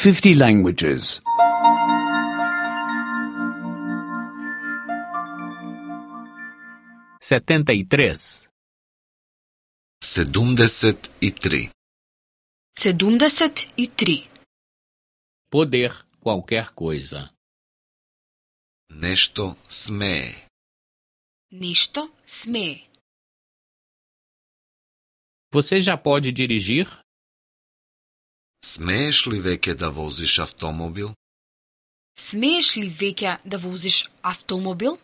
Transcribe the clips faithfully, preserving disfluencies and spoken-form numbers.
fifty languages. setenta e três. седумдесет и три. седумдесет и три. Poder qualquer coisa. Нешто смее. Нешто смее. Você já pode dirigir? Смееш ли веќе да возиш автомобил? Смееш ли веќе да возиш автомобил?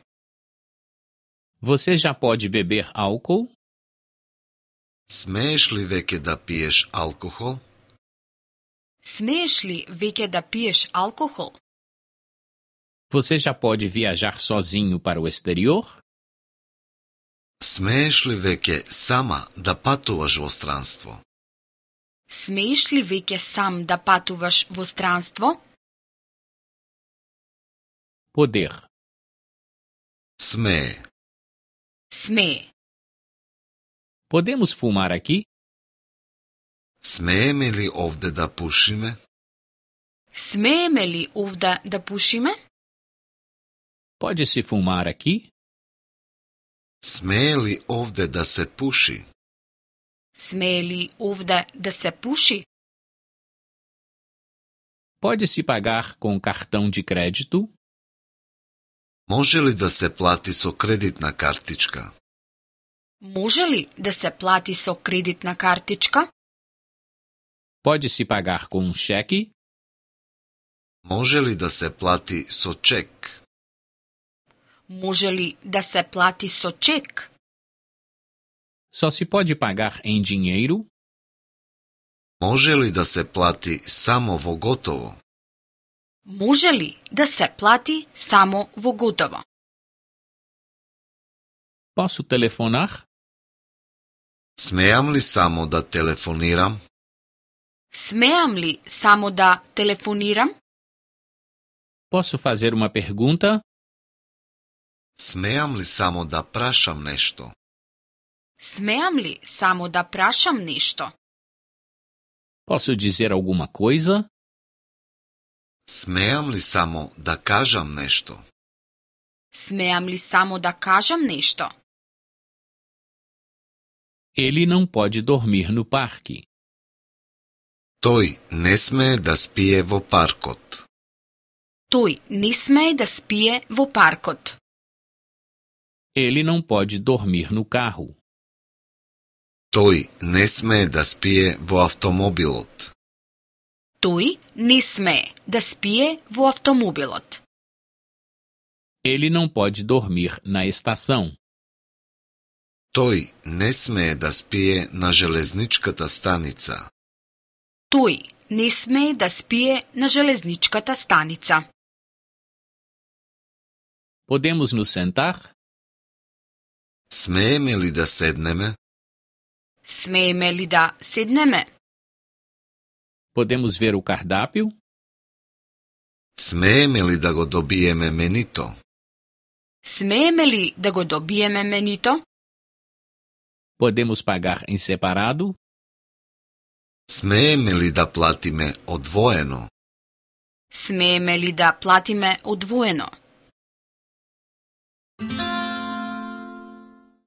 Você já pode beber álcool? Смееш ли веќе да пиеш алкохол? Смееш ли веќе да пиеш алкохол? Você já pode viajar sozinho para o exterior? Смееш ли веќе сама да патуваш во странство? Смееш ли веќе сам да патуваш во странство? Poder. Смее. Смее. Podemos fumar aqui? Смееме ли овде да пушиме? Смееме ли овде да пушиме? Pode-se fumar aqui? Смее ли овде да се пуши? Смее ли овде да се пуши? Pode-se pagar com cartão de crédito? Може ли да се плати со кредитна картичка? Може ли да се плати со кредитна картичка? Pode-se pagar com um cheque? Може ли да се плати со чек? Може ли да се плати со чек? Só se pode pagar em dinheiro? Може ли да се плати само во готово? Може ли да се плати само во готово? Posso telefonar? Смеам ли само да телефонирам? Смеам ли само да телефонирам? Posso fazer uma pergunta? Смеам ли само да прашам нешто? Смеам ли само да прашам нешто? Posso dizer alguma coisa? Смеам ли само да кажам нешто? Смеам ли само да кажам нешто? Ele não pode dormir no parque. Тој не смее да спие во паркот. Тој не смее да спие во паркот. Ele não pode dormir no carro. Тој не смее да спие во автомобилот. Тој не смее да спие во автомобилот. Ele não pode dormir na estação. Тој не смее да спие на железничката станица. Тој не смее да спие на железничката станица. Podemos nos sentar? Смееме ли да седнеме? Смееме ли да седнеме? Podemos ver o cardápio? Смееме ли да го добиеме менито? Смееме ли да го добиеме менито? Podemos pagar em separado? Смееме ли да платиме одвоено? Смееме ли да платиме одвоено?